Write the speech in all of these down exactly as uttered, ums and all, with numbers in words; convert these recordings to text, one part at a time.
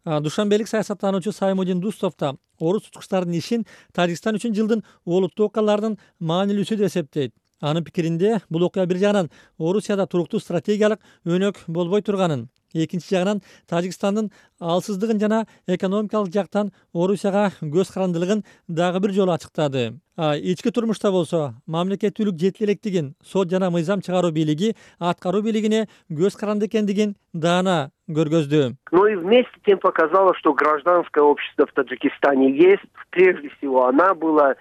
Душанбелик саясаттануучу Саймудин Дустов да орус тутукчуларынын ишин Тажикстан үчүн жылдын олуттуу окуяларынын маанилүүсү деп эсептейт. Анын пикиринде бул окуя бир жагынан Орусияда туруктуу стратегиялык өнөк болбой турганын, экинчи жагынан Тажикстандын алсыздыгын жана экономикалык жактан Орусияга көз карандылыгын дагы бир жолу ачыктады. Ички турмушта болсо мамлекеттүүлүк жетили электигин сот жана мыйзам чыгаруу бийлиги аткаруу бийлигине көз каранды экендигин даана көргөздү. Но и вместе с тем показало, что гражданское общество в Таджикистане есть. Прежде всего, она была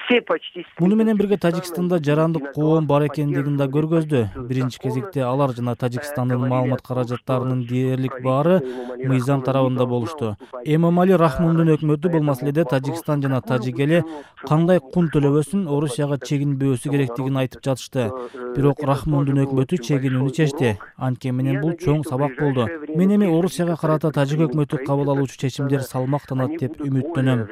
все почти. Муну менен бирге Тажикстанда жарандык коом бар экендигин да көргөздү. Биринчи кезекте алар жана Тажикстандын маалымат каражаттарынын дээрлик баары мыйзам тарабында болушту. Эмомали Рахмондун өкмөтү бул маселеде Тажикстан жана тажик эли кандай кун төлөбөсүн, Орусияга чегинбөөсү керектигин айтып жатышты. Бирок Рахмондун өкмөтү чегинүүнү чечти. Анткени менен бул чоң сабак болду. Мен эми Орусияга карата тажик өкмөтү кабыл алуучу чечимдер салмактанат деп үмүттөнөм.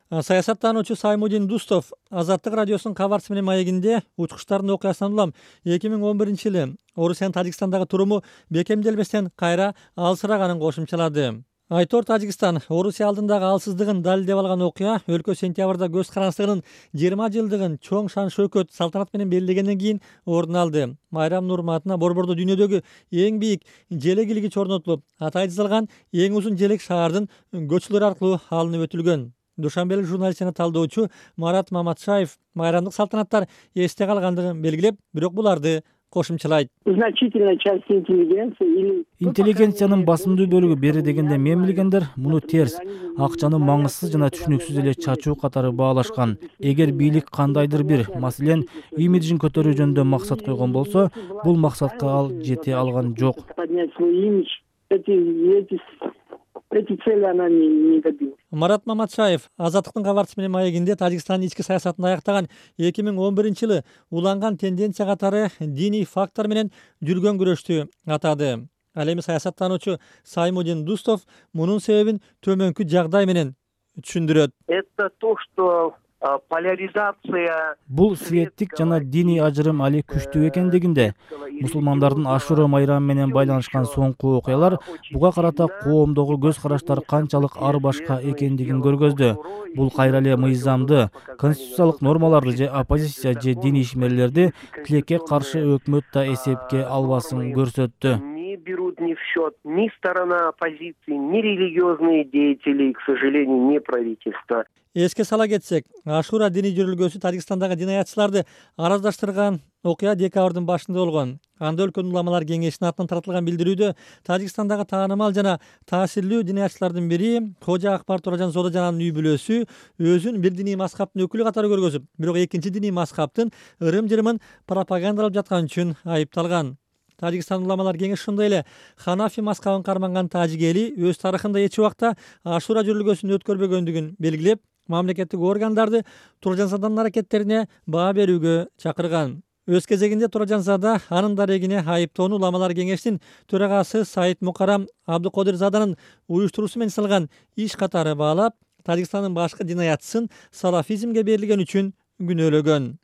Саясаттануучу Саймудин Дустов Азаттык радиосунун кабарчысы менен маегинде учкучтардын окуясынан улам эки миң он биринчи жылы Орусиянын Тажикстандагы туруму бекемделбестен кайра алсыраганын кошумчалады. Айтор Тажикстан Орусия алдындагы алсыздыгын далилдеп алган окуя өлкө сентябрда көз карандысынын жыйырма жылдыгын чоң шан шөкөт салтанат менен белгилегенден кийин ордун алды. Майрамдын урматына Борбордо дүйнөдөгү эң бийик желек илгич орнотулуп, атайы жасалган эң узун желек шаардын көчөлөрү аркылуу алынып өтүлгөн. Душанбелик журналист жана талдоочу Марат Маматшаев майрамдык салтанаттар эсте калгандыгын белгилеп, бирок буларды кошумчалайт. Значительная часть интеллигенции Интеллигенциянын басымдуу бөлүгү бери дегенде мен билгендер муну терс, акчаны маңызсыз жана түшүнүксүз эле чачуу катары баалашкан. Эгер бийлик кандайдыр бир, маселен, имиджин көтөрүү жөнүндө максат койгон болсо, бул максатка ал жете алган жок. Эти цели она не добилась. Марат Маматшаев Азаттыктын кабарчысы менен маегинде Тажикстандын ички саясатын аяктаган эки миң он биринчи жылы уланган тенденция катары диний фактор менен жүргөн күрөштү атады. Ал эми саясаттануучу Саймудин Дустов мунун себебин төмөнкү жагдай менен түшүндүрөт. Это то, что поляризация. Бул светтик жана диний ажырым али күчтүү экендигинде. Мусулмандардын Ашура майрамы менен байланышкан соңку окуялар буга карата коомдогу көз караштар канчалык ар башка экендигин көргөздү. Бул кайра эле мыйзамды, конституциялык нормаларды же оппозиция же диний ишмерлерди тилекке каршы өкмөт да эсепке албасын көрсөттү. Не берут ни в счет ни сторона оппозиции, ни религиозные деятели, к сожалению, не правительство. Эске сала кетсек, Ашура диний жүрүлгөсү Тажикстандагы динаятчыларды араздаштырган окуя декабрдын башында болгон. Анда өлкөнүн уламалар кеңешинин атынан таратылган билдирүүдө Тажикстандагы таанымал жана таасирлүү динаятчылардын бири Кожа Акбар Туражан Зодожананын үй бүлөсү өзүн бир диний мазхабтын өкүлү катары көргөзүп, бирок экинчи диний мазхабтын ырым-жырымын пропагандалап жаткан үчүн айыпталган. Тажикстан уламалар кеңеши ошондой эле Ханафи мазхабын карманган тажик эли өз тарыхында эч убакта Ашура жүрүлгөсүн өткөрбөгөндүгүн белгилеп, мамлекеттик органдарды Туражанзаданын аракеттерине баа берүүгө чакырган. Өз кезегинде Туражанзада анын дарегине айыптоону уламалар кеңешинин төрагасы Саид Мукарам Абдыкодирзаданын уюштуруусу менен жасалган иш катары баалап, Тажикстандын башкы динаятчысын салафизмге берилген үчүн күнөөлөгөн.